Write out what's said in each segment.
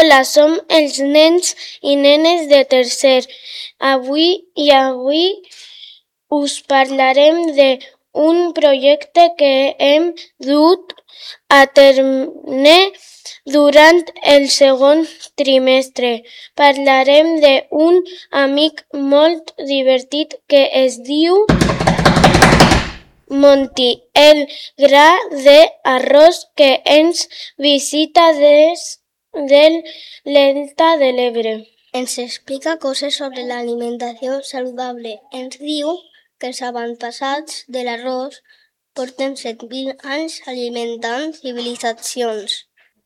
Hola, som els nens i nenes de tercer. Avui us parlarem d'un projecte que hem dut a terme durant el segon trimestre. Parlarem d'un amic molt divertit que es diu Monty, el gra d'arròs que ens visita des del Delta de l'Ebre. Ens explica coses sobre l'alimentació saludable. Ens diu que els avantpassats de l'arròs porten 7.000 anys alimentant civilitzacions.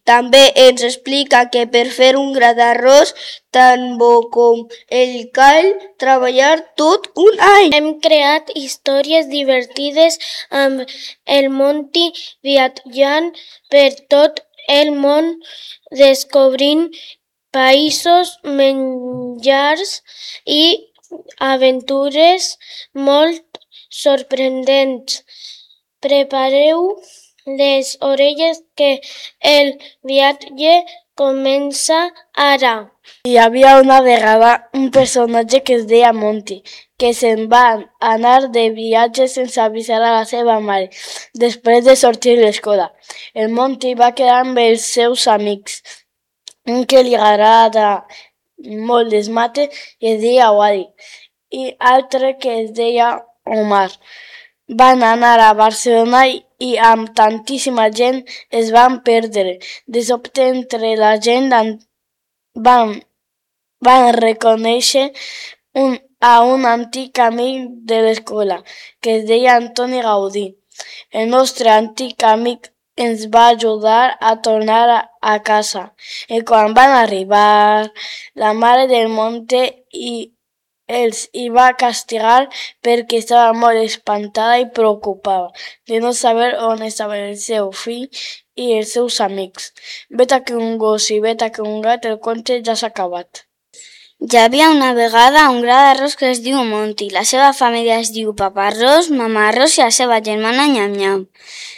També ens explica que per fer un gra d'arròs tan bo com el cal treballar tot un any. Hem creat històries divertides amb el Monty viatjant per tot el món, descobrint països, menjars i aventures molt sorprenents. Prepareu les orelles que el viatge comença ara. Hi havia una vegada un personatge que es deia Monty, que se'n va anar de viatge sense avisar a la seva mare, després de sortir de l'escola. El Monty va quedar amb els seus amics, un que li agrada molt les mates i es deia Wally, i altre que es deia Omar. Van anar a Barcelona i amb tantíssima gent es van perdre. De sobte entre la gent van reconèixer a un antic amic de l'escola que es deia Antoni Gaudí. El nostre antic amic ens va ajudar a tornar a casa. I quan van arribar, la mare del Monty els hi va castigar perquè estava molt espantada i preocupada de no saber on estava el seu fill i els seus amics. Vet que un gos i vet que un gat, el conte ja s'ha acabat. Hi havia una vegada un gra d'arròs que es diu Monty. La seva família es diu Papa Arròs, Mama Arròs i la seva germana Nyam-Nyam.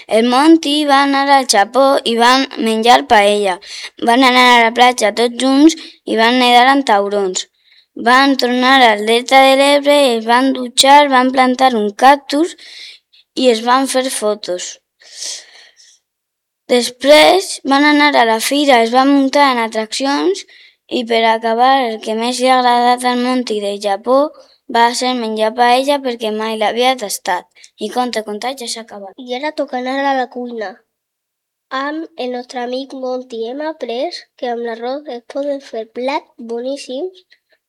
El Monty va anar al Japó i van menjar paella. Van anar a la platja tots junts i van nedar amb taurons. Van tornar al Delta de l'Ebre, es van dutxar, van plantar un cactus i es van fer fotos. Després van anar a la fira, es van muntar en atraccions i per acabar el que més li ha agradat al Monty del Japó va ser menjar paella perquè mai l'havia tastat. I conte, ja s'ha acabat. I ara toca anar a la cuina. Amb el nostre amic Monty hem après que amb l'arròs es poden fer plats boníssims.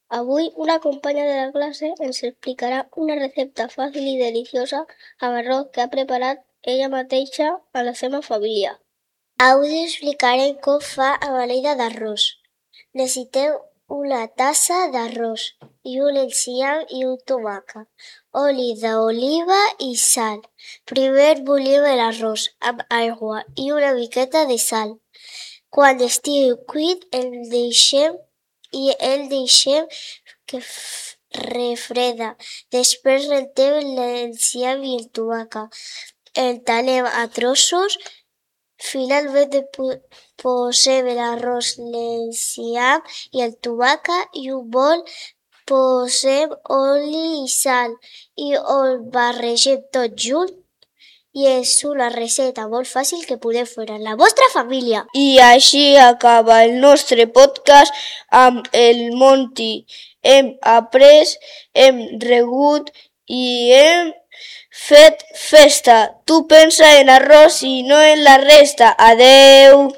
Avui una companya de la classe ens explicarà una recepta fàcil i deliciosa amb arròs que ha preparat ella mateixa a la seva família. Avui explicarem com fa amb l'olla d'arròs. Necessiteu una tassa d'arròs i un enciam i un tomàquet, oli d'oliva i sal. Primer bullim l'arròs amb aigua i una miqueta de sal. Quan estigui cuit el deixem que refreda. Després rentem l'enciam i el tomàquet. El tallem a trossos. Finalment posem l'arròs, l'enciam i el tomàquet i un bol posem oli i sal i ho barregem tot junt. I és una recepta molt fàcil que podeu fer a la vostra família. I així acaba el nostre podcast amb el Monty. Hem après, hem regut i hem fet festa. Tu pensa en arròs i no en la resta. Adeu!